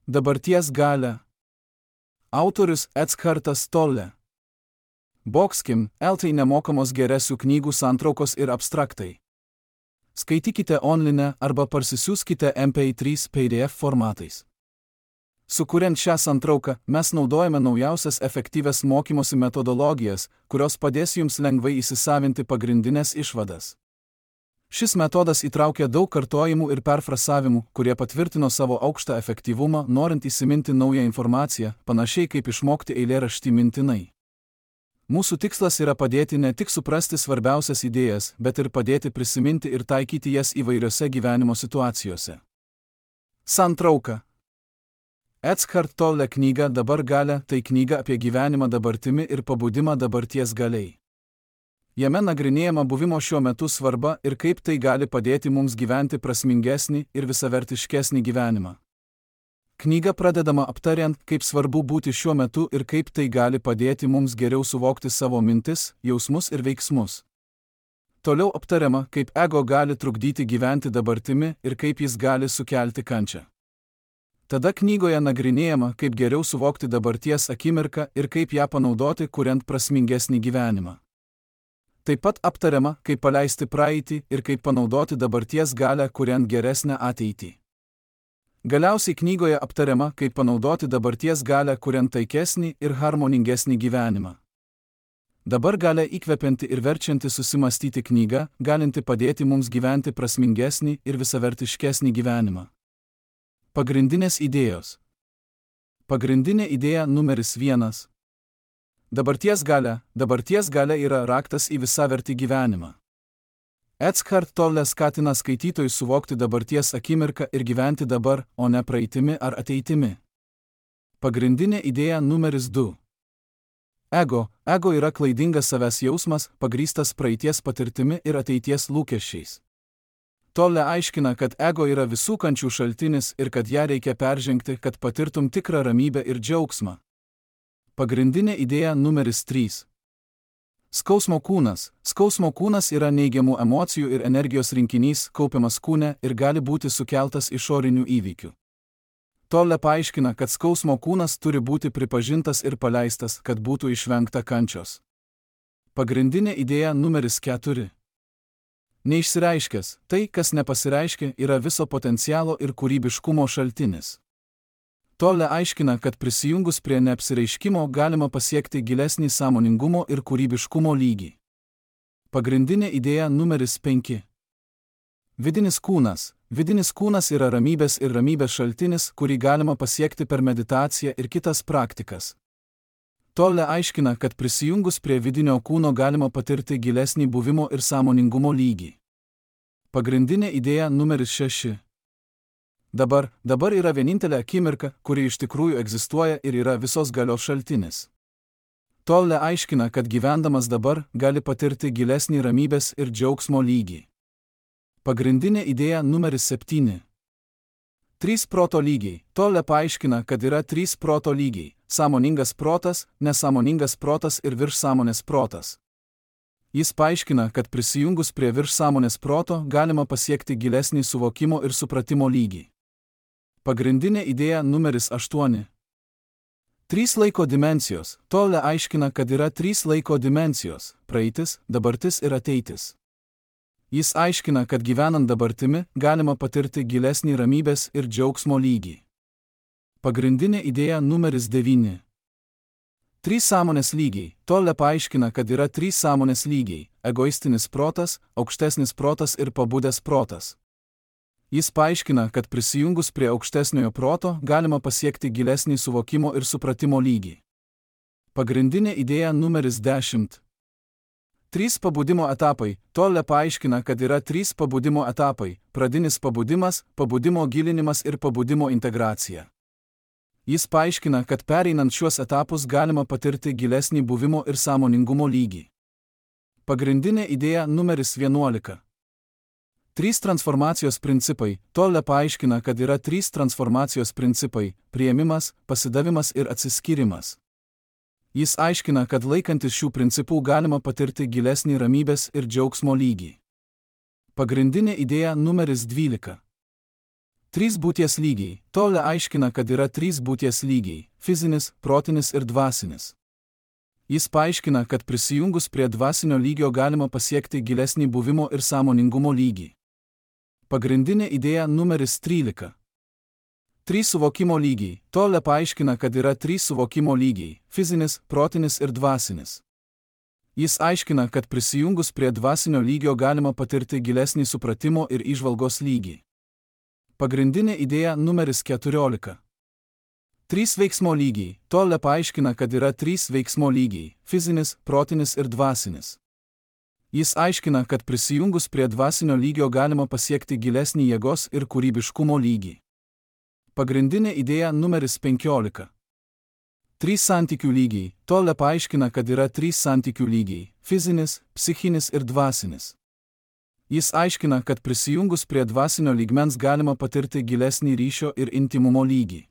Dabarties galia. Autorius Eckhartas Tolle. Boxkim, LT nemokamos geresių knygų santraukos ir abstraktai. Skaitykite online arba parsisiųskite MP3 PDF formatais. Sukuriant šią santrauką, mes naudojame naujausias efektyvias mokymosi metodologijas, kurios padės jums lengvai įsisavinti pagrindinės išvadas. Šis metodas įtraukia daug kartojimų ir perfrasavimų, kurie patvirtino savo aukštą efektyvumą, norint įsiminti naują informaciją, panašiai kaip išmokti eilėraštį mintinai. Mūsų tikslas yra padėti ne tik suprasti svarbiausias idėjas, bet ir padėti prisiminti ir taikyti jas įvairiose gyvenimo situacijose. Santrauka. Eckhart Tolle knyga Dabar galia tai knyga apie gyvenimą dabartimi ir pabudimą dabarties galiai. Jame nagrinėjama buvimo šiuo metu svarba ir kaip tai gali padėti mums gyventi prasmingesnį ir visavertiškesnį gyvenimą. Knyga pradedama aptariant, kaip svarbu būti šiuo metu ir kaip tai gali padėti mums geriau suvokti savo mintis, jausmus ir veiksmus. Toliau aptariama, kaip ego gali trukdyti gyventi dabartimi ir kaip jis gali sukelti kančią. Tada knygoje nagrinėjama, kaip geriau suvokti dabarties akimirką ir kaip ją panaudoti, kuriant prasmingesnį gyvenimą. Taip pat aptariama, kaip paleisti praeitį ir kaip panaudoti dabarties galią, kuriant geresnę ateitį. Galiausiai knygoje aptariama, kaip panaudoti dabarties galią, kuriant taikesnį ir harmoningesnį gyvenimą. Dabar galia įkvepianti ir verčianti susimastyti knyga, galinti padėti mums gyventi prasmingesnį ir visavertiškesnį gyvenimą. Pagrindinės idėjos. Pagrindinė idėja numeris 1. Dabarties galia yra raktas į visavertį gyvenimą. Eckhart Tolle skatina skaitytojus suvokti dabarties akimirką ir gyventi dabar, o ne praeitimi ar ateitimi. Pagrindinė idėja numeris 2. Ego yra klaidingas savęs jausmas, pagrįstas praeities patirtimi ir ateities lūkesčiais. Tolle aiškina, kad ego yra visų kančių šaltinis ir kad ją reikia peržengti, kad patirtum tikrą ramybę ir džiaugsmą. Pagrindinė idėja numeris 3. Skausmo kūnas. Skausmo kūnas yra neigiamų emocijų ir energijos rinkinys, kaupiamas kūne ir gali būti sukeltas išorinių įvykių. Tolle paaiškina, kad skausmo kūnas turi būti pripažintas ir paleistas, kad būtų išvengta kančios. Pagrindinė idėja numeris 4. Neišsireiškęs, tai, kas nepasireiškia, yra viso potencialo ir kūrybiškumo šaltinis. Tolle aiškina, kad prisijungus prie neapsireiškimo galima pasiekti gilesnį sąmoningumo ir kūrybiškumo lygį. Pagrindinė idėja numeris 5. Vidinis kūnas. Vidinis kūnas yra ramybės ir ramybės šaltinis, kurį galima pasiekti per meditaciją ir kitas praktikas. Tolle aiškina, kad prisijungus prie vidinio kūno galima patirti gilesnį buvimo ir sąmoningumo lygį. Pagrindinė idėja numeris 6. Dabar yra vienintelė akimirka, kuri iš tikrųjų egzistuoja ir yra visos galios šaltinis. Tolle aiškina, kad gyvendamas dabar gali patirti gilesnį ramybės ir džiaugsmo lygį. Pagrindinė idėja numeris 7. 3 proto lygiai. Tolle paaiškina, kad yra 3 proto lygiai – sąmoningas protas, nesąmoningas protas ir viršsąmonės protas. Jis paaiškina, kad prisijungus prie viršsąmonės proto galima pasiekti gilesnį suvokimo ir supratimo lygį. Pagrindinė idėja numeris 8. 3 laiko dimensijos. Tolle aiškina, kad yra 3 laiko dimensijos – praeitis, dabartis ir ateitis. Jis aiškina, kad gyvenant dabartimi galima patirti gilesnį ramybės ir džiaugsmo lygį. Pagrindinė idėja numeris 9. 3 sąmonės lygiai. Tolle paaiškina, kad yra 3 sąmonės lygiai – egoistinis protas, aukštesnis protas ir pabudęs protas. Jis paaiškina, kad prisijungus prie aukštesniojo proto galima pasiekti gilesnį suvokimo ir supratimo lygį. Pagrindinė idėja numeris 10. 3 pabudimo etapai. Tolle paaiškina, kad yra 3 pabudimo etapai – pradinis pabudimas, pabudimo gilinimas ir pabudimo integracija. Jis paaiškina, kad pereinant šiuos etapus galima patirti gilesnį buvimo ir sąmoningumo lygį. Pagrindinė idėja numeris 11. 3 transformacijos principai. Tolle paaiškina, kad yra 3 transformacijos principai – priėmimas, pasidavimas ir atsiskyrimas. Jis aiškina, kad laikantis šių principų galima patirti gilesnį ramybės ir džiaugsmo lygį. Pagrindinė idėja numeris 12. Trys būties lygiai. Tolle aiškina, kad yra trys būties lygiai – fizinis, protinis ir dvasinis. Jis paaiškina, kad prisijungus prie dvasinio lygio galima pasiekti gilesnį buvimo ir sąmoningumo lygį. Pagrindinė idėja numeris 13. Trys suvokimo lygiai. Tolle paaiškina, kad yra trys suvokimo lygiai – fizinis, protinis ir dvasinis. Jis aiškina, kad prisijungus prie dvasinio lygio galima patirti gilesnį supratimo ir įžvalgos lygį. Pagrindinė idėja numeris 14. Trys veiksmo lygiai. Tolle paaiškina, kad yra trys veiksmo lygiai – fizinis, protinis ir dvasinis. Jis aiškina, kad prisijungus prie dvasinio lygio galima pasiekti gilesnį jėgos ir kūrybiškumo lygį. Pagrindinė idėja numeris 15. Trys santykių lygiai. Tolle paaiškina, kad yra trys santykių lygiai – fizinis, psichinis ir dvasinis. Jis aiškina, kad prisijungus prie dvasinio lygmens galima patirti gilesnį ryšio ir intimumo lygį.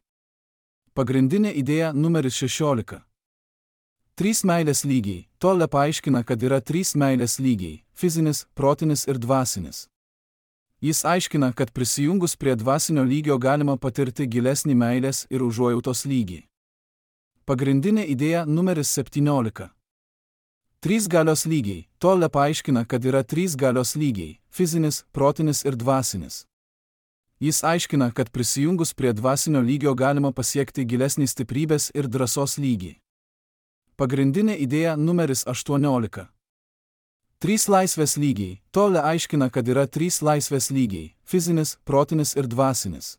Pagrindinė idėja numeris 16. Trys meilės lygiai. Tolle paaiškina, kad yra trys meilės lygiai – fizinis, protinis ir dvasinis. Jis aiškina, kad prisijungus prie dvasinio lygio galima patirti gilesnį meilės ir užuojautos lygį. Pagrindinė idėja numeris 17. Trys galios lygiai. Tolle paaiškina, kad yra trys galios lygiai – fizinis, protinis ir dvasinis. Jis aiškina, kad prisijungus prie dvasinio lygio galima pasiekti gilesnį stiprybės ir drąsos lygį. Pagrindinė idėja numeris 18. Trys laisvės lygiai. Tolle aiškina, kad yra trys laisvės lygiai – fizinis, protinis ir dvasinis.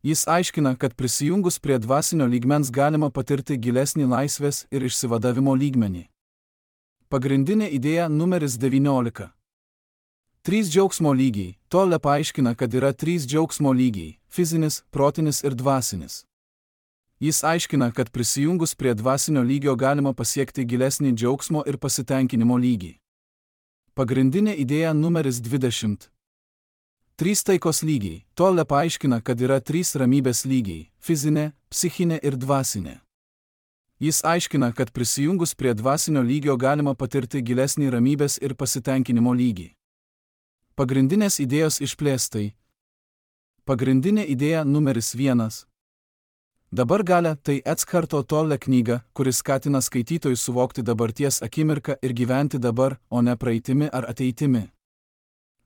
Jis aiškina, kad prisijungus prie dvasinio lygmens galima patirti gilesnį laisvės ir išsivadavimo lygmenį. Pagrindinė idėja numeris 19. Trys džiaugsmo lygiai. Tolle paaiškina, kad yra trys džiaugsmo lygiai – fizinis, protinis ir dvasinis. Jis aiškina, kad prisijungus prie dvasinio lygio galima pasiekti gilesnį džiaugsmo ir pasitenkinimo lygį. Pagrindinė idėja numeris 20. Trys taikos lygiai. Tolle paaiškina, kad yra trys ramybės lygiai – fizinė, psichinė ir dvasinė. Jis aiškina, kad prisijungus prie dvasinio lygio galima patirti gilesnį ramybės ir pasitenkinimo lygį. Pagrindinės idėjos išplėstai. Pagrindinė idėja numeris 1. Dabar galia – tai Eckharto Tolle knyga, kuris skatina skaitytojus suvokti dabarties akimirką ir gyventi dabar, o ne praeitimi ar ateitimi.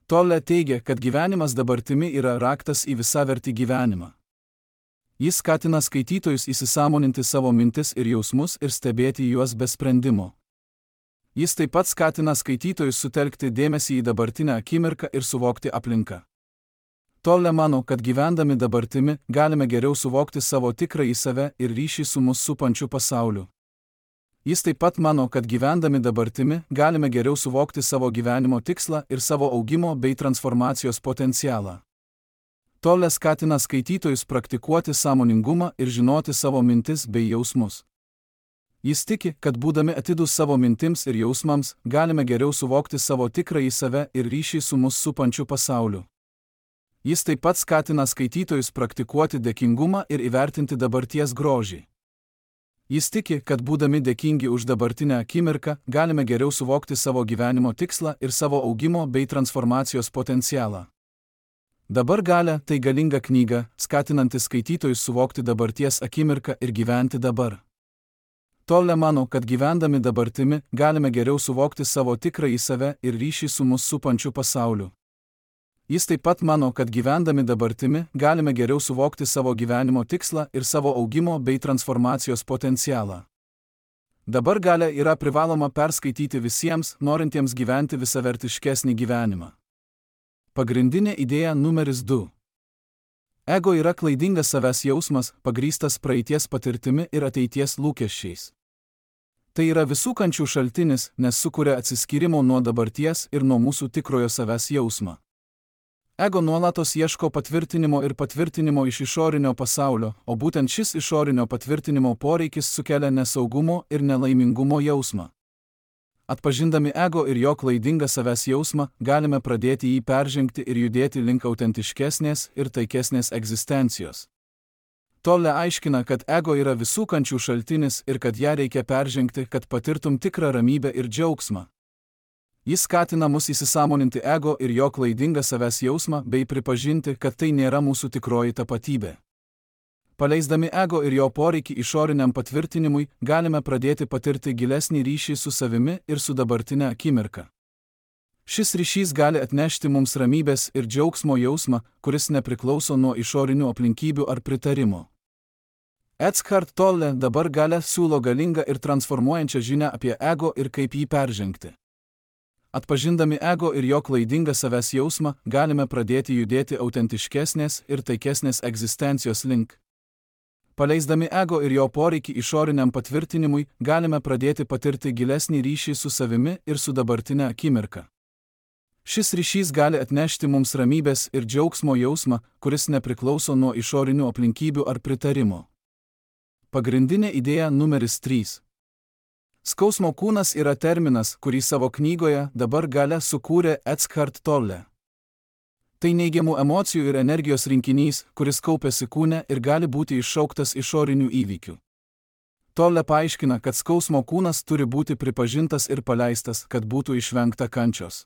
Tolle teigia, kad gyvenimas dabartimi yra raktas į visavertį gyvenimą. Jis skatina skaitytojus įsisąmoninti savo mintis ir jausmus ir stebėti juos be sprendimo. Jis taip pat skatina skaitytojus sutelkti dėmesį į dabartinę akimirką ir suvokti aplinką. Tolle mano, kad gyvendami dabartimi galime geriau suvokti savo tikrąjį save ir ryšį su mus supančiu pasauliu. Jis taip pat mano, kad gyvendami dabartimi galime geriau suvokti savo gyvenimo tikslą ir savo augimo bei transformacijos potencialą. Tolle skatina skaitytojus praktikuoti sąmoningumą ir žinoti savo mintis bei jausmus. Jis tiki, kad būdami atidūs savo mintims ir jausmams, galime geriau suvokti savo tikrąjį save ir ryšį su mus supančiu pasauliu. Jis taip pat skatina skaitytojus praktikuoti dėkingumą ir įvertinti dabarties grožį. Jis tiki, kad būdami dėkingi už dabartinę akimirką, galime geriau suvokti savo gyvenimo tikslą ir savo augimo bei transformacijos potencialą. Dabar galia – tai galinga knyga, skatinanti skaitytojus suvokti dabarties akimirką ir gyventi dabar. Tolle mano, kad gyvendami dabartimi galime geriau suvokti savo tikrąjį save ir ryšį su mus supančiu pasauliu. Jis taip pat mano, kad gyvendami dabartimi galime geriau suvokti savo gyvenimo tikslą ir savo augimo bei transformacijos potencialą. Dabar galia yra privaloma perskaityti visiems, norintiems gyventi visavertiškesnį gyvenimą. Pagrindinė idėja numeris 2. Ego yra klaidingas savęs jausmas, pagrįstas praeities patirtimi ir ateities lūkesčiais. Tai yra visų kančių šaltinis, nes sukuria atsiskyrimo nuo dabarties ir nuo mūsų tikrojo savęs jausmą. Ego nuolatos ieško patvirtinimo ir patvirtinimo iš išorinio pasaulio, o būtent šis išorinio patvirtinimo poreikis sukelia nesaugumo ir nelaimingumo jausmą. Atpažindami ego ir jo klaidingą savęs jausmą, galime pradėti jį peržengti ir judėti link autentiškesnės ir taikesnės egzistencijos. Tolle aiškina, kad ego yra visų kančių šaltinis ir kad ją reikia peržengti, kad patirtum tikrą ramybę ir džiaugsmą. Jis skatina mus įsisąmoninti ego ir jo klaidingą savęs jausmą bei pripažinti, kad tai nėra mūsų tikroji tapatybė. Paleisdami ego ir jo poreikį išoriniam patvirtinimui, galime pradėti patirti gilesnį ryšį su savimi ir su dabartine akimirka. Šis ryšys gali atnešti mums ramybės ir džiaugsmo jausmą, kuris nepriklauso nuo išorinių aplinkybių ar pritarimo. Eckhart Tolle dabar gale siūlo galingą ir transformuojančią žinią apie ego ir kaip jį peržengti. Atpažindami ego ir jo klaidingą savęs jausmą, galime pradėti judėti autentiškesnės ir taikesnės egzistencijos link. Paleisdami ego ir jo poreikį išoriniam patvirtinimui, galime pradėti patirti gilesnį ryšį su savimi ir su dabartine akimirka. Šis ryšys gali atnešti mums ramybės ir džiaugsmo jausmą, kuris nepriklauso nuo išorinių aplinkybių ar pritarimo. Pagrindinė idėja numeris 3. Skausmo kūnas yra terminas, kurį savo knygoje dabar gale sukūrė Eckhart Tolle. Tai neigiamų emocijų ir energijos rinkinys, kuris kaupiasi kūne ir gali būti iššauktas išorinių įvykių. Tolle paaiškina, kad skausmo kūnas turi būti pripažintas ir paleistas, kad būtų išvengta kančios.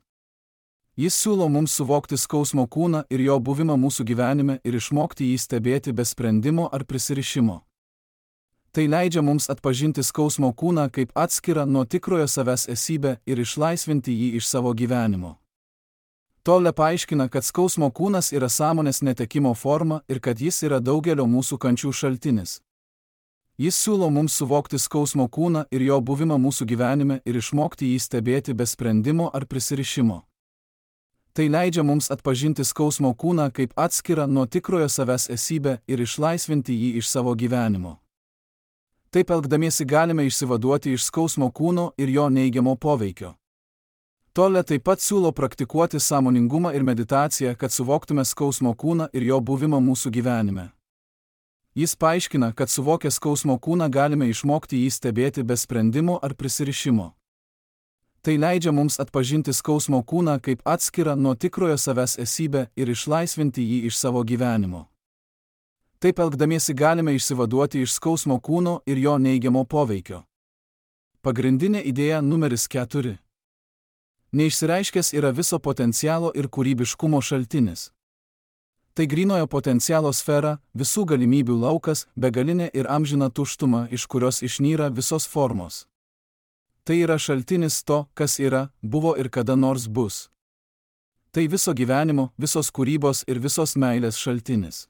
Jis siūlo mums suvokti skausmo kūną ir jo buvimą mūsų gyvenime ir išmokti jį stebėti be sprendimo ar prisirišimo. Tai leidžia mums atpažinti skausmo kūną kaip atskirą nuo tikrojo savęs esybę ir išlaisvinti jį iš savo gyvenimo. Tolle paaiškina, kad skausmo kūnas yra sąmonės netekimo forma ir kad jis yra daugelio mūsų kančių šaltinis. Jis siūlo mums suvokti skausmo kūną ir jo buvimą mūsų gyvenime ir išmokti jį stebėti be sprendimo ar prisirišimo. Tai leidžia mums atpažinti skausmo kūną kaip atskirą nuo tikrojo savęs esybę ir išlaisvinti jį iš savo gyvenimo. Taip elgdamiesi galime išsivaduoti iš skausmo kūno ir jo neigiamo poveikio. Tolle taip pat siūlo praktikuoti sąmoningumą ir meditaciją, kad suvoktume skausmo kūną ir jo buvimą mūsų gyvenime. Jis paaiškina, kad suvokę skausmo kūną galime išmokti jį stebėti be sprendimo ar prisirišimo. Tai leidžia mums atpažinti skausmo kūną kaip atskirą nuo tikrojo savęs esybę ir išlaisvinti jį iš savo gyvenimo. Taip elgdamiesi galime išsivaduoti iš skausmo kūno ir jo neigiamo poveikio. Pagrindinė idėja numeris 4. Neišsireiškęs yra viso potencialo ir kūrybiškumo šaltinis. Tai grynojo potencialo sfera, visų galimybių laukas, begalinė ir amžina tuštuma, iš kurios išnyra visos formos. Tai yra šaltinis to, kas yra, buvo ir kada nors bus. Tai viso gyvenimo, visos kūrybos ir visos meilės šaltinis.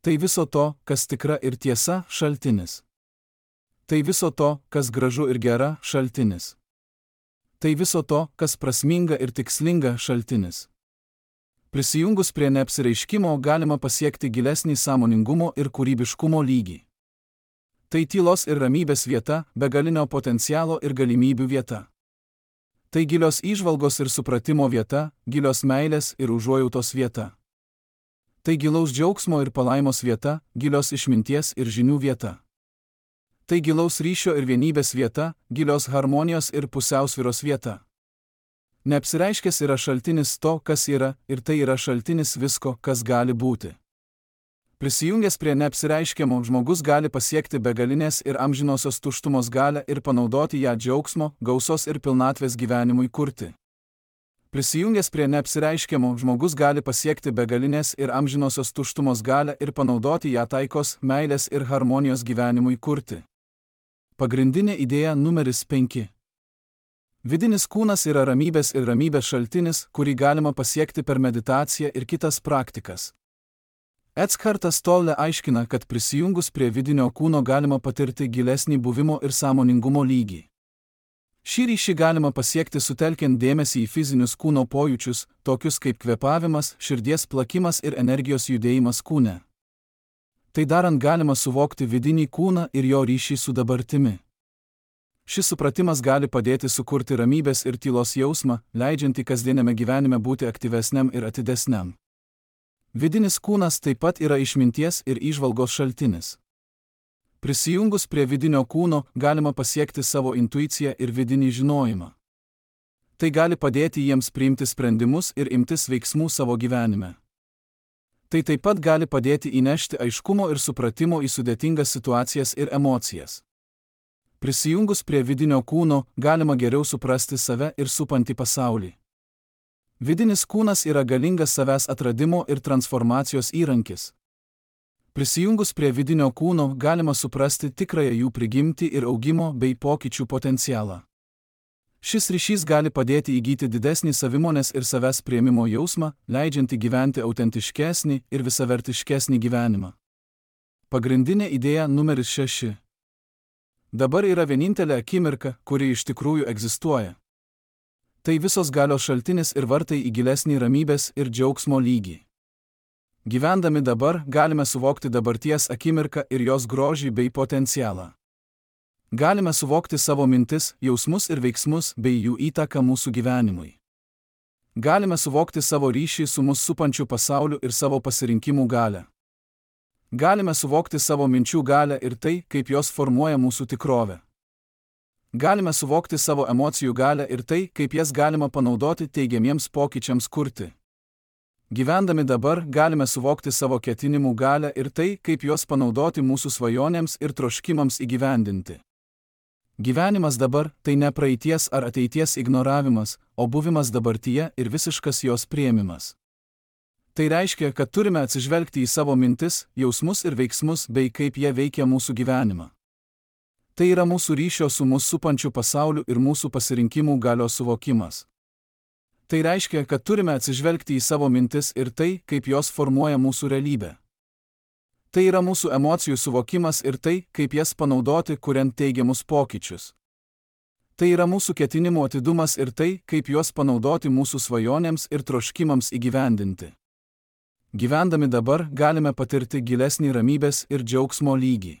Tai viso to, kas tikra ir tiesa, šaltinis. Tai viso to, kas gražu ir gera, šaltinis. Tai viso to, kas prasminga ir tikslinga, šaltinis. Prisijungus prie neapsireiškimo galima pasiekti gilesnį sąmoningumo ir kūrybiškumo lygį. Tai tylos ir ramybės vieta, begalinio potencialo ir galimybių vieta. Tai gilios įžvalgos ir supratimo vieta, gilios meilės ir užuojautos vieta. Tai gilaus džiaugsmo ir palaimos vieta, gilios išminties ir žinių vieta. Tai gilaus ryšio ir vienybės vieta, gilios harmonijos ir pusiausvyros vieta. Neapsireiškęs yra šaltinis to, kas yra, ir tai yra šaltinis visko, kas gali būti. Prisijungęs prie neapsireiškiamo, žmogus gali pasiekti begalinės ir amžinosios tuštumos galią ir panaudoti ją džiaugsmo, gausos ir pilnatvės gyvenimui kurti. Prisijungęs prie neapsireiškiamo, žmogus gali pasiekti begalinės ir amžinosios tuštumos galią ir panaudoti ją taikos, meilės ir harmonijos gyvenimui kurti. Pagrindinė idėja numeris 5. Vidinis kūnas yra ramybės ir ramybės šaltinis, kurį galima pasiekti per meditaciją ir kitas praktikas. Eckhartas Tolle aiškina, kad prisijungus prie vidinio kūno galima patirti gilesnį buvimo ir sąmoningumo lygį. Šį ryšį galima pasiekti sutelkiant dėmesį į fizinius kūno pojūčius, tokius kaip kvėpavimas, širdies plakimas ir energijos judėjimas kūne. Tai darant galima suvokti vidinį kūną ir jo ryšį su dabartimi. Šis supratimas gali padėti sukurti ramybės ir tylos jausmą, leidžiantį kasdieniame gyvenime būti aktyvesniam ir atidesniam. Vidinis kūnas taip pat yra išminties ir įžvalgos šaltinis. Prisijungus prie vidinio kūno galima pasiekti savo intuiciją ir vidinį žinojimą. Tai gali padėti jiems priimti sprendimus ir imtis veiksmų savo gyvenime. Tai taip pat gali padėti įnešti aiškumo ir supratimo į sudėtingas situacijas ir emocijas. Prisijungus prie vidinio kūno, galima geriau suprasti save ir supantį pasaulį. Vidinis kūnas yra galingas savęs atradimo ir transformacijos įrankis. Prisijungus prie vidinio kūno, galima suprasti tikrąją jų prigimtį ir augimo bei pokyčių potencialą. Šis ryšys gali padėti įgyti didesnį savimonės ir savęs priėmimo jausmą, leidžiantį gyventi autentiškesnį ir visavertiškesnį gyvenimą. Pagrindinė idėja numeris 6. Dabar yra vienintelė akimirka, kuri iš tikrųjų egzistuoja. Tai visos galios šaltinis ir vartai į gilesnį ramybės ir džiaugsmo lygį. Gyvendami dabar, galime suvokti dabarties akimirką ir jos grožį bei potencialą. Galime suvokti savo mintis, jausmus ir veiksmus bei jų įtaką mūsų gyvenimui. Galime suvokti savo ryšį su mus supančiu pasauliu ir savo pasirinkimų galią. Galime suvokti savo minčių galią ir tai, kaip jos formuoja mūsų tikrovę. Galime suvokti savo emocijų galią ir tai, kaip jas galima panaudoti teigiamiems pokyčiams kurti. Gyvendami dabar, galime suvokti savo ketinimų galią ir tai, kaip juos panaudoti mūsų svajonėms ir troškimams įgyvendinti. Gyvenimas dabar – tai ne praeities ar ateities ignoravimas, o buvimas dabartyje ir visiškas jos priėmimas. Tai reiškia, kad turime atsižvelgti į savo mintis, jausmus ir veiksmus bei kaip jie veikia mūsų gyvenimą. Tai yra mūsų ryšio su mus supančiu pasauliu ir mūsų pasirinkimų galios suvokimas. Tai reiškia, kad turime atsižvelgti į savo mintis ir tai, kaip jos formuoja mūsų realybę. Tai yra mūsų emocijų suvokimas ir tai, kaip jas panaudoti, kuriant teigiamus pokyčius. Tai yra mūsų ketinimų atidumas ir tai, kaip juos panaudoti mūsų svajonėms ir troškimams įgyvendinti. Gyvendami dabar, galime patirti gilesnį ramybės ir džiaugsmo lygį.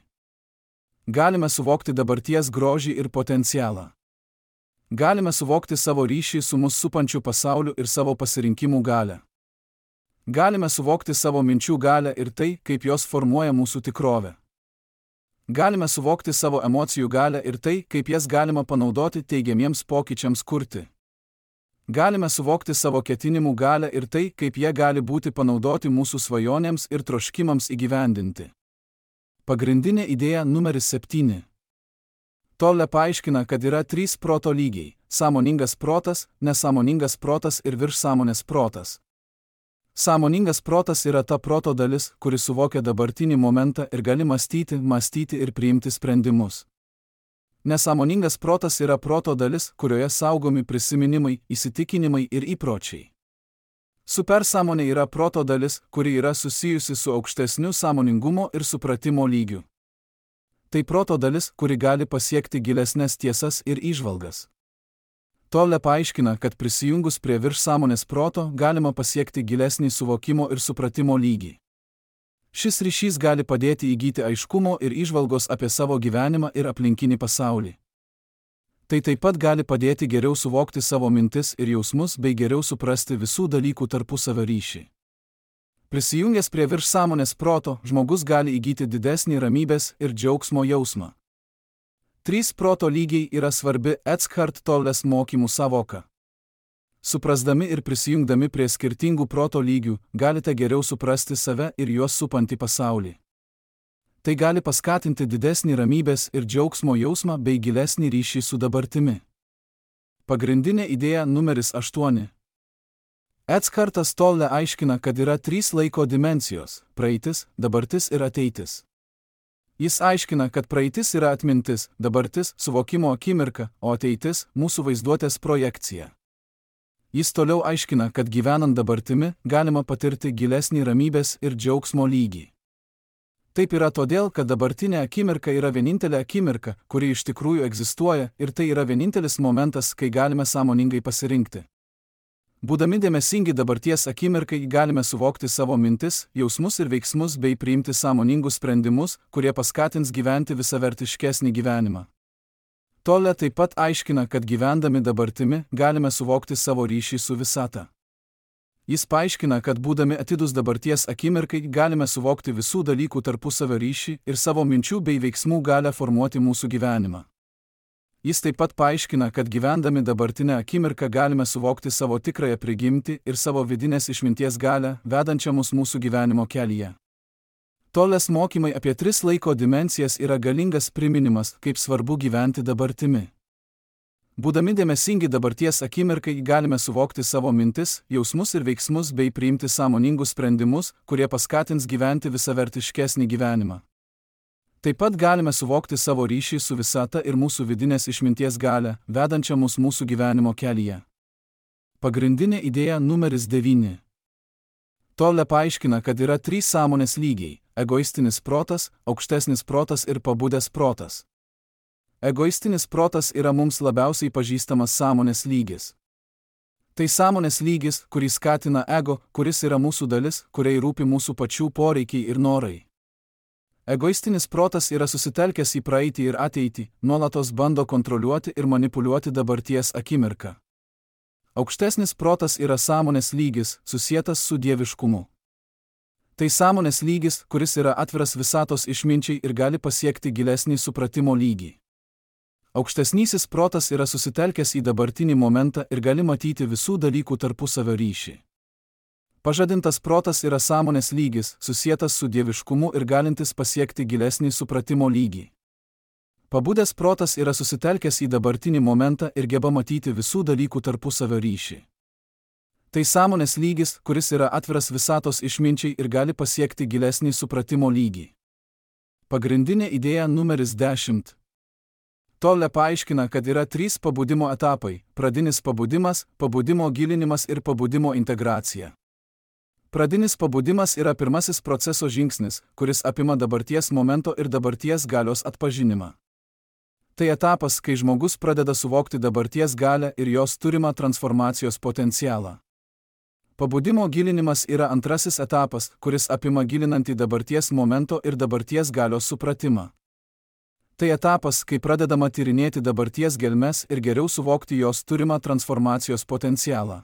Galime suvokti dabarties grožį ir potencialą. Galime suvokti savo ryšį su mus supančiu pasauliu ir savo pasirinkimų galią. Galime suvokti savo minčių galią ir tai, kaip jos formuoja mūsų tikrovę. Galime suvokti savo emocijų galią ir tai, kaip jas galima panaudoti teigiamiems pokyčiams kurti. Galime suvokti savo ketinimų galią ir tai, kaip jie gali būti panaudoti mūsų svajonėms ir troškimams įgyvendinti. Pagrindinė idėja numeris 7. Tolle paaiškina, kad yra 3 proto lygiai – sąmoningas protas, nesąmoningas protas ir viršsąmonės protas. Sąmoningas protas yra ta proto dalis, kuri suvokia dabartinį momentą ir gali mąstyti ir priimti sprendimus. Nesąmoningas protas yra proto dalis, kurioje saugomi prisiminimai, įsitikinimai ir įpročiai. Supersąmonė yra proto dalis, kuri yra susijusi su aukštesniu sąmoningumo ir supratimo lygiu. Tai proto dalis, kuri gali pasiekti gilesnes tiesas ir įžvalgas. Tolle paaiškina, kad prisijungus prie viršsąmonės proto galima pasiekti gilesnį suvokimo ir supratimo lygį. Šis ryšys gali padėti įgyti aiškumo ir įžvalgos apie savo gyvenimą ir aplinkinį pasaulį. Tai taip pat gali padėti geriau suvokti savo mintis ir jausmus bei geriau suprasti visų dalykų tarpusavio ryšį. Prisijungęs prie viršsąmonės proto, žmogus gali įgyti didesnį ramybės ir džiaugsmo jausmą. 3 proto lygiai yra svarbi Eckhart Tolles mokymų sąvoka. Suprasdami ir prisijungdami prie skirtingų proto lygių, galite geriau suprasti save ir juos supantį pasaulį. Tai gali paskatinti didesnį ramybės ir džiaugsmo jausmą bei gilesnį ryšį su dabartimi. Pagrindinė idėja numeris 8. Eckhartas Tolle aiškina, kad yra 3 laiko dimensijos – praeitis, dabartis ir ateitis. Jis aiškina, kad praeitis yra atmintis, dabartis – suvokimo akimirka, o ateitis – mūsų vaizduotės projekcija. Jis toliau aiškina, kad gyvenant dabartimi galima patirti gilesnį ramybės ir džiaugsmo lygį. Taip yra todėl, kad dabartinė akimirka yra vienintelė akimirka, kuri iš tikrųjų egzistuoja ir tai yra vienintelis momentas, kai galime sąmoningai pasirinkti. Būdami dėmesingi dabarties akimirkai galime suvokti savo mintis, jausmus ir veiksmus bei priimti sąmoningus sprendimus, kurie paskatins gyventi visavertiškesnį gyvenimą. Tolle taip pat aiškina, kad gyvendami dabartimi galime suvokti savo ryšį su visata. Jis paaiškina, kad būdami atidūs dabarties akimirkai galime suvokti visų dalykų tarpusavio ryšį ir savo minčių bei veiksmų galią formuoti mūsų gyvenimą. Jis taip pat paaiškina, kad gyvendami dabartinę akimirką galime suvokti savo tikrąją prigimtį ir savo vidinės išminties galią, vedančią mus mūsų gyvenimo kelyje. Tolles mokymai apie 3 laiko dimensijas yra galingas priminimas, kaip svarbu gyventi dabartimi. Būdami dėmesingi dabarties akimirkai galime suvokti savo mintis, jausmus ir veiksmus bei priimti sąmoningus sprendimus, kurie paskatins gyventi visavertiškesnį gyvenimą. Taip pat galime suvokti savo ryšį su visata ir mūsų vidinės išminties galią, vedančią mus mūsų gyvenimo kelyje. Pagrindinė idėja numeris 9. Tolle paaiškina, kad yra 3 sąmonės lygiai – egoistinis protas, aukštesnis protas ir pabudęs protas. Egoistinis protas yra mums labiausiai pažįstamas sąmonės lygis. Tai sąmonės lygis, kurį skatina ego, kuris yra mūsų dalis, kuriai rūpi mūsų pačių poreikiai ir norai. Egoistinis protas yra susitelkęs į praeitį ir ateitį, nuolatos bando kontroliuoti ir manipuliuoti dabarties akimirką. Aukštesnis protas yra sąmonės lygis, susietas su dieviškumu. Tai sąmonės lygis, kuris yra atviras visatos išminčiai ir gali pasiekti gilesnį supratimo lygį. Aukštesnysis protas yra susitelkęs į dabartinį momentą ir gali matyti visų dalykų tarpusavio ryšį. Pažadintas protas yra sąmonės lygis, susietas su dieviškumu ir galintis pasiekti gilesnį supratimo lygį. Pabudęs protas yra susitelkęs į dabartinį momentą ir geba matyti visų dalykų tarpusavio ryšį. Tai sąmonės lygis, kuris yra atviras visatos išminčiai ir gali pasiekti gilesnį supratimo lygį. Pagrindinė idėja numeris 10. Tolle paaiškina, kad yra 3 pabudimo etapai – pradinis pabudimas, pabudimo gilinimas ir pabudimo integracija. Pradinis pabudimas yra pirmasis proceso žingsnis, kuris apima dabarties momento ir dabarties galios atpažinimą. Tai etapas, kai žmogus pradeda suvokti dabarties galią ir jos turimą transformacijos potencialą. Pabudimo gilinimas yra antrasis etapas, kuris apima gilinantį dabarties momento ir dabarties galios supratimą. Tai etapas, kai pradedama tyrinėti dabarties gelmes ir geriau suvokti jos turimą transformacijos potencialą.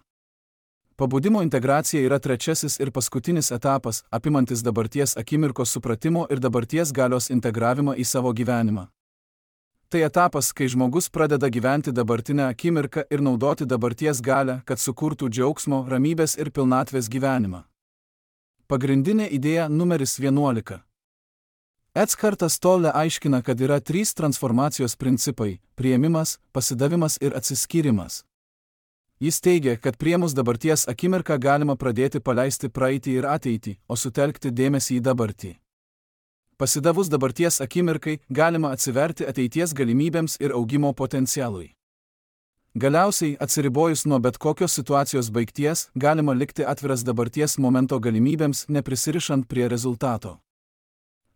Pabudimo integracija yra trečiasis ir paskutinis etapas, apimantis dabarties akimirkos supratimo ir dabarties galios integravimą į savo gyvenimą. Tai etapas, kai žmogus pradeda gyventi dabartinę akimirką ir naudoti dabarties galią, kad sukurtų džiaugsmo, ramybės ir pilnatvės gyvenimą. Pagrindinė idėja numeris 11. Eckhartas Tolle aiškina, kad yra 3 transformacijos principai – priėmimas, pasidavimas ir atsiskyrimas. Jis teigia, kad priėmus dabarties akimirką galima pradėti paleisti praeitį ir ateitį, o sutelkti dėmesį į dabartį. Pasidavus dabarties akimirkai galima atsiverti ateities galimybėms ir augimo potencialui. Galiausiai, atsiribojus nuo bet kokios situacijos baigties, galima likti atviras dabarties momento galimybėms, neprisirišant prie rezultato.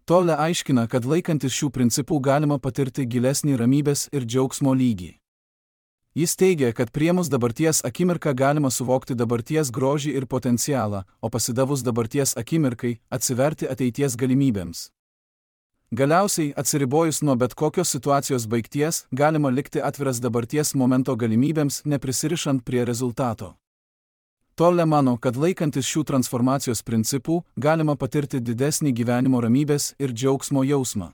Tolle aiškina, kad laikantis šių principų galima patirti gilesnį ramybės ir džiaugsmo lygį. Jis teigia, kad priėmus dabarties akimirką galima suvokti dabarties grožį ir potencialą, o pasidavus dabarties akimirkai atsiverti ateities galimybėms. Galiausiai, atsiribojus nuo bet kokios situacijos baigties, galima likti atviras dabarties momento galimybėms, neprisirišant prie rezultato. Tolle mano, kad laikantis šių transformacijos principų, galima patirti didesnį gyvenimo ramybės ir džiaugsmo jausmą.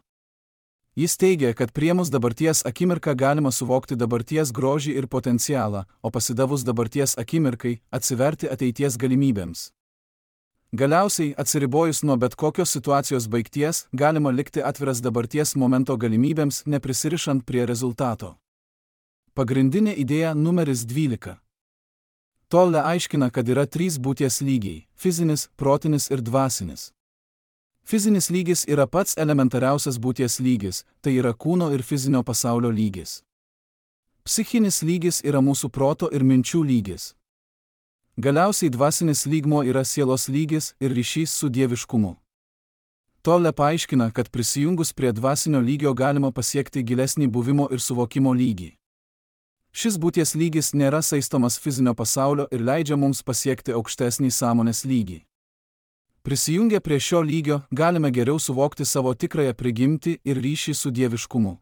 Jis teigia, kad priėmus dabarties akimirką galima suvokti dabarties grožį ir potencialą, o pasidavus dabarties akimirkai atsiverti ateities galimybėms. Galiausiai, atsiribojus nuo bet kokios situacijos baigties, galima likti atviras dabarties momento galimybėms, neprisirišant prie rezultato. Pagrindinė idėja numeris 12. Tolle aiškina, kad yra 3 būties lygiai – fizinis, protinis ir dvasinis. Fizinis lygis yra pats elementariausias būties lygis, tai yra kūno ir fizinio pasaulio lygis. Psichinis lygis yra mūsų proto ir minčių lygis. Galiausiai dvasinis lygmuo yra sielos lygis ir ryšys su dieviškumu. Tolle paaiškina, kad prisijungus prie dvasinio lygio galima pasiekti gilesnį buvimo ir suvokimo lygį. Šis būties lygis nėra saistomas fizinio pasaulio ir leidžia mums pasiekti aukštesnį sąmonės lygį. Prisijungę prie šio lygio, galime geriau suvokti savo tikrąją prigimtį ir ryšį su dieviškumu.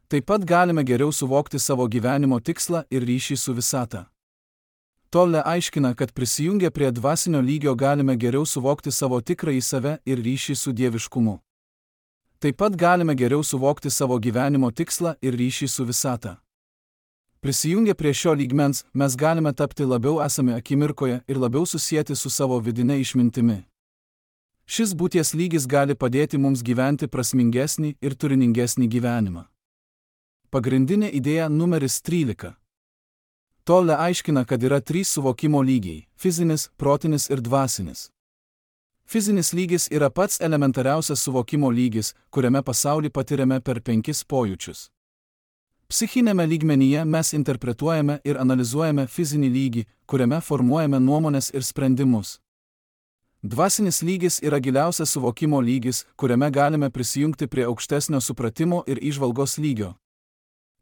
Taip pat galime geriau suvokti savo gyvenimo tikslą ir ryšį su visata. Tolle aiškina, kad prisijungę prie dvasinio lygio galime geriau suvokti savo tikrąjį save ir ryšį su dieviškumu. Taip pat galime geriau suvokti savo gyvenimo tikslą ir ryšį su visata. Prisijungę prie šio lygmens, mes galime tapti labiau esami akimirkoje ir labiau susieti su savo vidine išmintimi. Šis būties lygis gali padėti mums gyventi prasmingesnį ir turiningesnį gyvenimą. Pagrindinė idėja numeris 13. Tolle aiškina, kad yra 3 suvokimo lygiai – fizinis, protinis ir dvasinis. Fizinis lygis yra pats elementariausias suvokimo lygis, kuriame pasaulį patiriame per 5 pojūčius. Psichinėme lygmenyje mes interpretuojame ir analizuojame fizinį lygį, kuriame formuojame nuomones ir sprendimus. Dvasinis lygis yra giliausias suvokimo lygis, kuriame galime prisijungti prie aukštesnio supratimo ir įžvalgos lygio.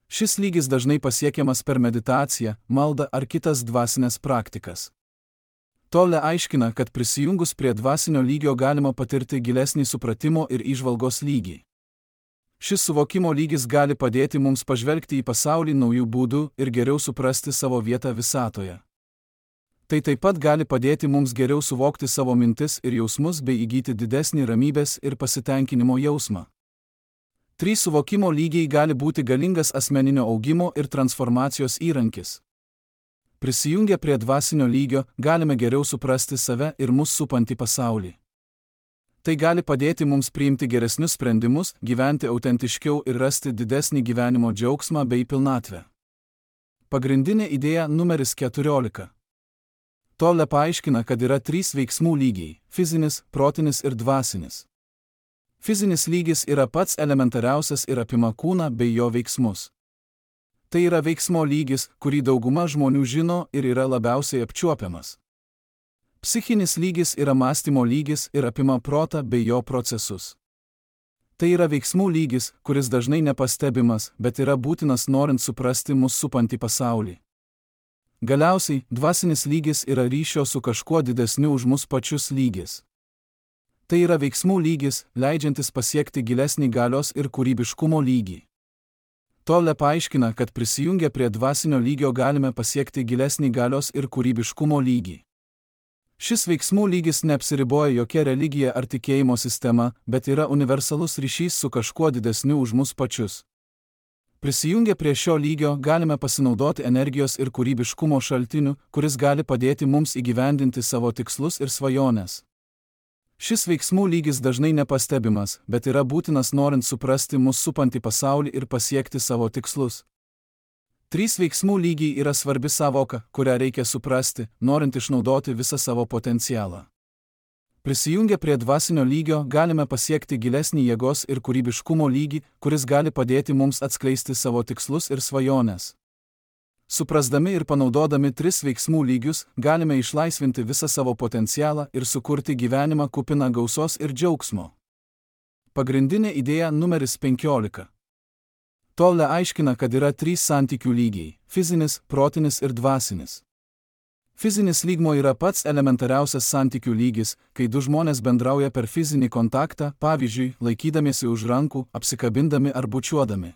Šis lygis dažnai pasiekiamas per meditaciją, maldą ar kitas dvasinės praktikas. Tolle aiškina, kad prisijungus prie dvasinio lygio galima patirti gilesnį supratimo ir įžvalgos lygį. Šis suvokimo lygis gali padėti mums pažvelgti į pasaulį naujų būdų ir geriau suprasti savo vietą visatoje. Tai taip pat gali padėti mums geriau suvokti savo mintis ir jausmus bei įgyti didesnį ramybės ir pasitenkinimo jausmą. 3 suvokimo lygiai gali būti galingas asmeninio augimo ir transformacijos įrankis. Prisijungę prie dvasinio lygio, galime geriau suprasti save ir mus supantį pasaulį. Tai gali padėti mums priimti geresnius sprendimus, gyventi autentiškiau ir rasti didesnį gyvenimo džiaugsmą bei pilnatvę. Pagrindinė idėja numeris 14. Tolle paaiškina, kad yra 3 veiksmų lygiai – fizinis, protinis ir dvasinis. Fizinis lygis yra pats elementariausias ir apima kūną bei jo veiksmus. Tai yra veiksmo lygis, kurį dauguma žmonių žino ir yra labiausiai apčiuopiamas. Psichinis lygis yra mąstymo lygis ir apima protą bei jo procesus. Tai yra veiksmų lygis, kuris dažnai nepastebimas, bet yra būtinas norint suprasti mus supantį pasaulį. Galiausiai, dvasinis lygis yra ryšio su kažkuo didesniu už mus pačius lygis. Tai yra veiksmų lygis, leidžiantis pasiekti gilesnį galios ir kūrybiškumo lygį. Tolle paaiškina, kad prisijungę prie dvasinio lygio galime pasiekti gilesnį galios ir kūrybiškumo lygį. Šis veiksmų lygis neapsiriboja jokia religija ar tikėjimo sistema, bet yra universalus ryšys su kažkuo didesniu už mus pačius. Prisijungę prie šio lygio galime pasinaudoti energijos ir kūrybiškumo šaltiniu, kuris gali padėti mums įgyvendinti savo tikslus ir svajones. Šis veiksmų lygis dažnai nepastebimas, bet yra būtinas norint suprasti mus supantį pasaulį ir pasiekti savo tikslus. 3 veiksmų lygiai yra svarbi sąvoka, kurią reikia suprasti, norint išnaudoti visą savo potencialą. Prisijungę prie dvasinio lygio galime pasiekti gilesnį jėgos ir kūrybiškumo lygį, kuris gali padėti mums atskleisti savo tikslus ir svajones. Suprasdami ir panaudodami 3 veiksmų lygius, galime išlaisvinti visą savo potencialą ir sukurti gyvenimą kupiną gausos ir džiaugsmo. Pagrindinė idėja numeris 15. Tolle aiškina, kad yra 3 santykių lygiai – fizinis, protinis ir dvasinis. Fizinis lygmuo yra pats elementariausias santykių lygis, kai 2 žmonės bendrauja per fizinį kontaktą, pavyzdžiui, laikydamiesi už rankų, apsikabindami ar bučiuodami.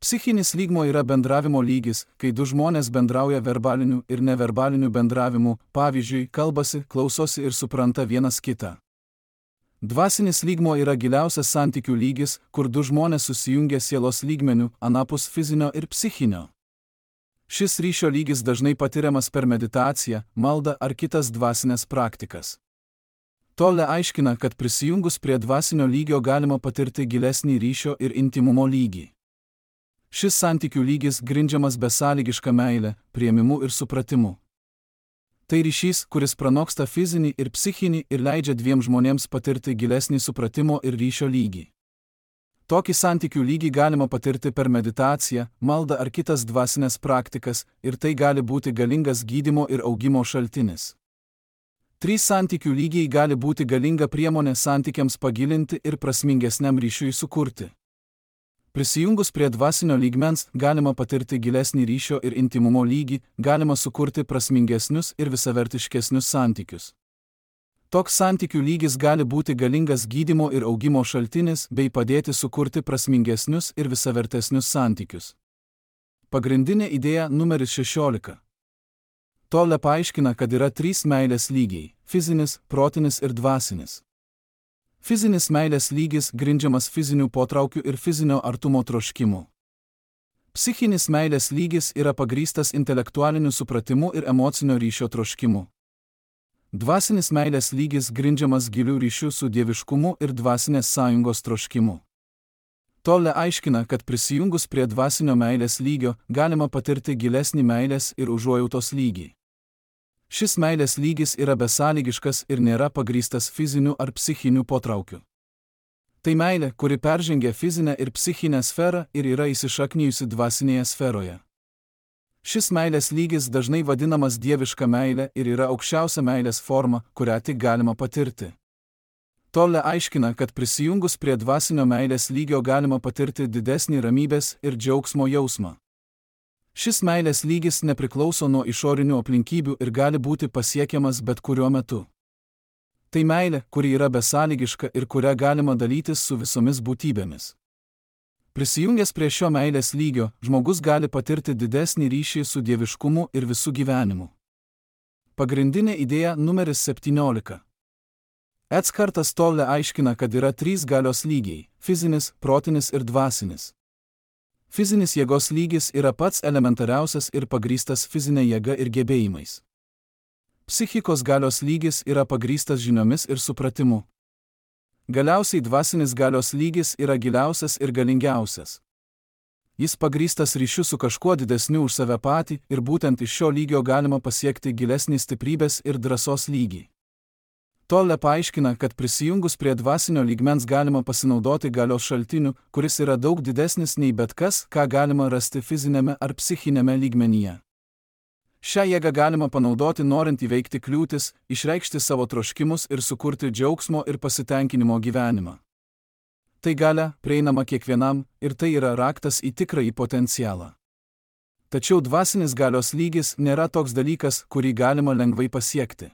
Psichinis lygmuo yra bendravimo lygis, kai 2 žmonės bendrauja verbaliniu ir neverbaliniu bendravimu, pavyzdžiui, kalbasi, klausosi ir supranta vienas kitą. Dvasinis lygmuo yra giliausias santykių lygis, kur 2 žmonės susijungia sielos lygmeniu, anapus fizinio ir psichinio. Šis ryšio lygis dažnai patiriamas per meditaciją, maldą ar kitas dvasinės praktikas. Tolle aiškina, kad prisijungus prie dvasinio lygio galima patirti gilesnį ryšio ir intimumo lygį. Šis santykių lygis grindžiamas besąlygiška meile, priėmimu ir supratimu. Tai ryšys, kuris pranoksta fizinį ir psichinį ir leidžia 2 žmonėms patirti gilesnį supratimo ir ryšio lygį. Tokį santykių lygį galima patirti per meditaciją, maldą ar kitas dvasinės praktikas, ir tai gali būti galingas gydymo ir augimo šaltinis. 3 santykių lygiai gali būti galinga priemonė santykiams pagilinti ir prasmingesniam ryšiui sukurti. Prisijungus prie dvasinio lygmens galima patirti gilesnį ryšio ir intimumo lygį, galima sukurti prasmingesnius ir visavertiškesnius santykius. Toks santykių lygis gali būti galingas gydymo ir augimo šaltinis bei padėti sukurti prasmingesnius ir visavertesnius santykius. Pagrindinė idėja numeris 16. Tolle paaiškina, kad yra 3 meilės lygiai – fizinis, protinis ir dvasinis. Fizinis meilės lygis grindžiamas fizinių potraukių ir fizinio artumo troškimu. Psichinis meilės lygis yra pagrįstas intelektualiniu supratimu ir emocinio ryšio troškimu. Dvasinis meilės lygis grindžiamas gilių ryšių su dieviškumu ir dvasinės sąjungos troškimu. Tolle aiškina, kad prisijungus prie dvasinio meilės lygio galima patirti gilesnį meilės ir užuojautos lygį. Šis meilės lygis yra besąlygiškas ir nėra pagrįstas fiziniu ar psichiniu potraukiu. Tai meilė, kuri peržengia fizinę ir psichinę sferą ir yra įsišaknijusi dvasinėje sferoje. Šis meilės lygis dažnai vadinamas dieviška meilė ir yra aukščiausia meilės forma, kurią tik galima patirti. Tolle aiškina, kad prisijungus prie dvasinio meilės lygio galima patirti didesnį ramybės ir džiaugsmo jausmą. Šis meilės lygis nepriklauso nuo išorinių aplinkybių ir gali būti pasiekiamas bet kuriuo metu. Tai meilė, kuri yra besąlygiška ir kurią galima dalytis su visomis būtybėmis. Prisijungęs prie šio meilės lygio, žmogus gali patirti didesnį ryšį su dieviškumu ir visų gyvenimu. Pagrindinė idėja numeris 17. Eckartas Tolle aiškina, kad yra 3 galios lygiai – fizinis, protinis ir dvasinis. Fizinis jėgos lygis yra pats elementariausias ir pagrįstas fizinė jėga ir gebėjimais. Psichikos galios lygis yra pagrįstas žiniomis ir supratimu. Galiausiai dvasinis galios lygis yra giliausias ir galingiausias. Jis pagrįstas ryšiu su kažkuo didesniu už save patį ir būtent iš šio lygio galima pasiekti gilesnį stiprybės ir drąsos lygį. Tolle paaiškina, kad prisijungus prie dvasinio lygmens galima pasinaudoti galios šaltiniu, kuris yra daug didesnis nei bet kas, ką galima rasti fizinėme ar psichinėme lygmenyje. Šią jėgą galima panaudoti norint įveikti kliūtis, išreikšti savo troškimus ir sukurti džiaugsmo ir pasitenkinimo gyvenimą. Tai galia, prieinama kiekvienam, ir tai yra raktas į tikrąjį potencialą. Tačiau dvasinis galios lygis nėra toks dalykas, kurį galima lengvai pasiekti.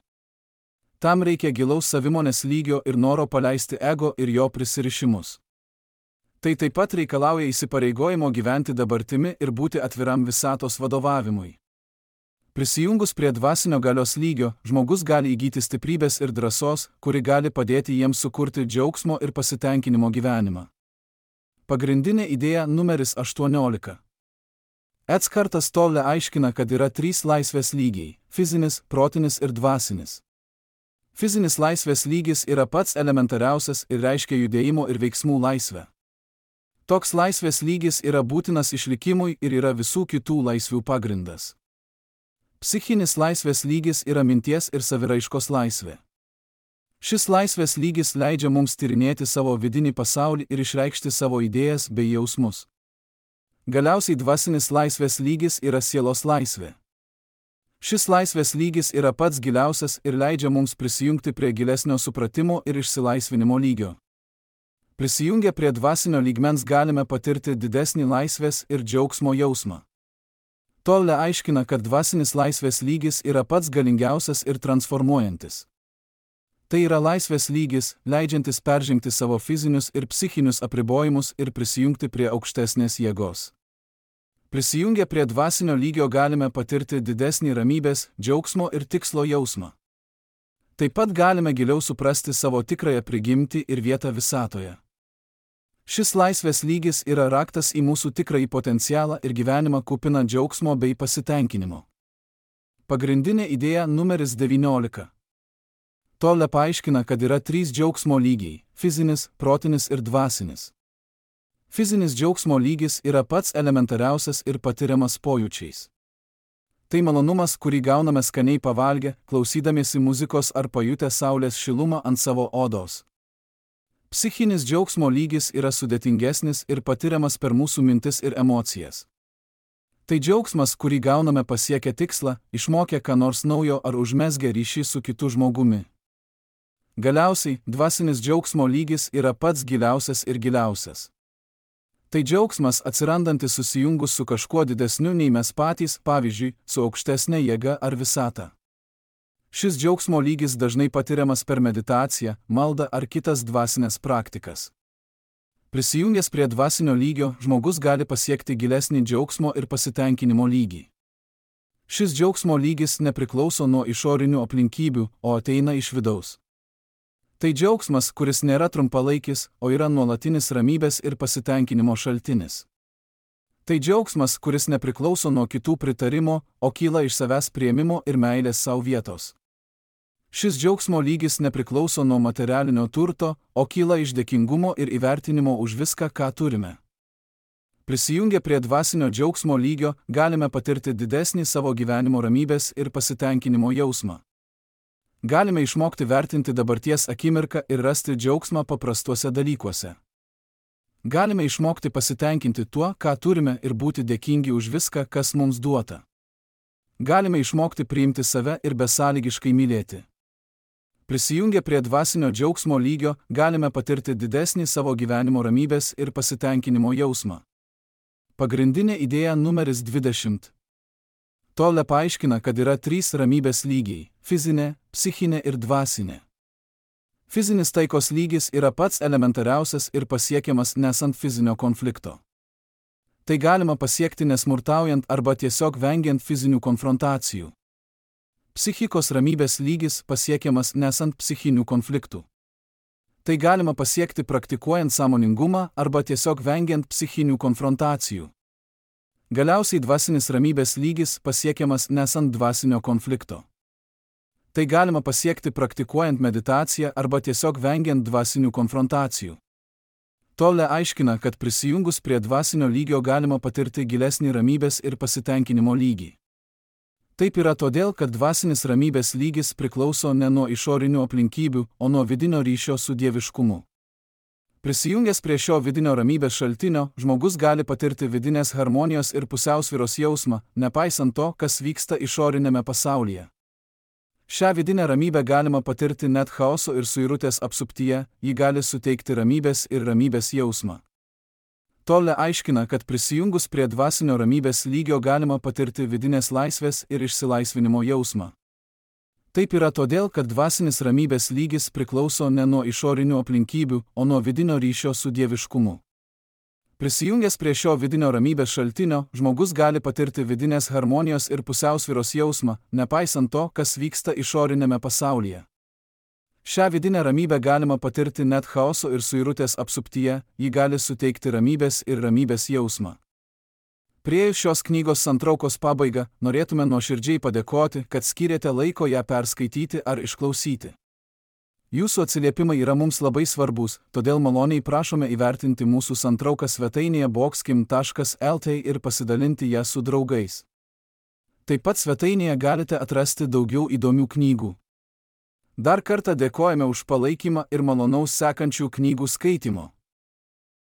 Tam reikia gilaus savimonės lygio ir noro paleisti ego ir jo prisirišimus. Tai taip pat reikalauja įsipareigojimo gyventi dabartimi ir būti atviram visatos vadovavimui. Prisijungus prie dvasinio galios lygio, žmogus gali įgyti stiprybės ir drąsos, kuri gali padėti jiems sukurti džiaugsmo ir pasitenkinimo gyvenimą. Pagrindinė idėja numeris 18. Eckartas Tolle aiškina, kad yra 3 laisvės lygiai – fizinis, protinis ir dvasinis. Fizinis laisvės lygis yra pats elementariausias ir reiškia judėjimo ir veiksmų laisvę. Toks laisvės lygis yra būtinas išlikimui ir yra visų kitų laisvių pagrindas. Psichinis laisvės lygis yra minties ir saviraiškos laisvė. Šis laisvės lygis leidžia mums tyrinėti savo vidinį pasaulį ir išreikšti savo idėjas bei jausmus. Galiausiai dvasinis laisvės lygis yra sielos laisvė. Šis laisvės lygis yra pats giliausias ir leidžia mums prisijungti prie gilesnio supratimo ir išsilaisvinimo lygio. Prisijungę prie dvasinio lygmens galime patirti didesnį laisvės ir džiaugsmo jausmą. Tolle aiškina, kad dvasinis laisvės lygis yra pats galingiausias ir transformuojantis. Tai yra laisvės lygis, leidžiantis peržengti savo fizinius ir psichinius apribojimus ir prisijungti prie aukštesnės jėgos. Prisijungę prie dvasinio lygio galime patirti didesnį ramybės, džiaugsmo ir tikslo jausmą. Taip pat galime giliau suprasti savo tikrąją prigimtį ir vietą visatoje. Šis laisvės lygis yra raktas į mūsų tikrąjį potencialą ir gyvenimą kupiną džiaugsmo bei pasitenkinimo. Pagrindinė idėja numeris 19. Tolle paaiškina, kad yra 3 džiaugsmo lygiai – fizinis, protinis ir dvasinis. Fizinis džiaugsmo lygis yra pats elementariausias ir patiriamas pojūčiais. Tai malonumas, kurį gauname skaniai pavalgę, klausydamiesi muzikos ar pajutę saulės šilumą ant savo odos. Psichinis džiaugsmo lygis yra sudėtingesnis ir patiriamas per mūsų mintis ir emocijas. Tai džiaugsmas, kurį gauname pasiekę tikslą, išmokę ką nors naujo ar užmezgę ryšį su kitu žmogumi. Galiausiai, dvasinis džiaugsmo lygis yra pats giliausias ir giliausias. Tai džiaugsmas atsirandantis susijungus su kažkuo didesniu nei mes patys, pavyzdžiui, su aukštesnė jėga ar visata. Šis džiaugsmo lygis dažnai patiriamas per meditaciją, maldą ar kitas dvasinės praktikas. Prisijungęs prie dvasinio lygio, žmogus gali pasiekti gilesnį džiaugsmo ir pasitenkinimo lygį. Šis džiaugsmo lygis nepriklauso nuo išorinių aplinkybių, o ateina iš vidaus. Tai džiaugsmas, kuris nėra trumpalaikis, o yra nuolatinis ramybės ir pasitenkinimo šaltinis. Tai džiaugsmas, kuris nepriklauso nuo kitų pritarimo, o kyla iš savęs priėmimo ir meilės savo vietos. Šis džiaugsmo lygis nepriklauso nuo materialinio turto, o kyla iš dėkingumo ir įvertinimo už viską, ką turime. Prisijungę prie dvasinio džiaugsmo lygio, galime patirti didesnį savo gyvenimo ramybės ir pasitenkinimo jausmą. Galime išmokti vertinti dabarties akimirką ir rasti džiaugsmą paprastuose dalykuose. Galime išmokti pasitenkinti tuo, ką turime ir būti dėkingi už viską, kas mums duota. Galime išmokti priimti save ir besąlygiškai mylėti. Prisijungę prie dvasinio džiaugsmo lygio, galime patirti didesnį savo gyvenimo ramybės ir pasitenkinimo jausmą. Pagrindinė idėja numeris 20. Tolle paaiškina, kad yra 3 ramybės lygiai – fizinė, psichinė ir dvasinė. Fizinis taikos lygis yra pats elementariausias ir pasiekiamas nesant fizinio konflikto. Tai galima pasiekti nesmurtaujant arba tiesiog vengiant fizinių konfrontacijų. Psichikos ramybės lygis pasiekiamas nesant psichinių konfliktų. Tai galima pasiekti praktikuojant sąmoningumą arba tiesiog vengiant psichinių konfrontacijų. Galiausiai dvasinis ramybės lygis pasiekiamas nesant dvasinio konflikto. Tai galima pasiekti praktikuojant meditaciją arba tiesiog vengiant dvasinių konfrontacijų. Tolle aiškina, kad prisijungus prie dvasinio lygio galima patirti gilesnį ramybės ir pasitenkinimo lygį. Taip yra todėl, kad dvasinis ramybės lygis priklauso ne nuo išorinių aplinkybių, o nuo vidinio ryšio su dieviškumu. Prisijungęs prie šio vidinio ramybės šaltinio, žmogus gali patirti vidinės harmonijos ir pusiausvyros jausmą, nepaisant to, kas vyksta išorinėme pasaulyje. Šią vidinę ramybę galima patirti net chaoso ir suirutės apsuptyje, ji gali suteikti ramybės ir ramybės jausmą. Tolle aiškina, kad prisijungus prie dvasinio ramybės lygio galima patirti vidinės laisvės ir išsilaisvinimo jausmą. Taip yra todėl, kad dvasinis ramybės lygis priklauso ne nuo išorinių aplinkybių, o nuo vidinio ryšio su dieviškumu. Prisijungęs prie šio vidinio ramybės šaltinio, žmogus gali patirti vidinės harmonijos ir pusiausvyros jausmą, nepaisant to, kas vyksta išorinėme pasaulyje. Šią vidinę ramybę galima patirti net chaoso ir suirutės apsuptyje, ji gali suteikti ramybės ir ramybės jausmą. Priėjus šios knygos santraukos pabaigą, norėtume nuoširdžiai padėkoti, kad skyrėte laiko ją perskaityti ar išklausyti. Jūsų atsiliepimai yra mums labai svarbus, todėl maloniai prašome įvertinti mūsų santrauką svetainėje boxkim.lt ir pasidalinti ją su draugais. Taip pat svetainėje galite atrasti daugiau įdomių knygų. Dar kartą dėkojame už palaikymą ir malonaus sekančių knygų skaitymo.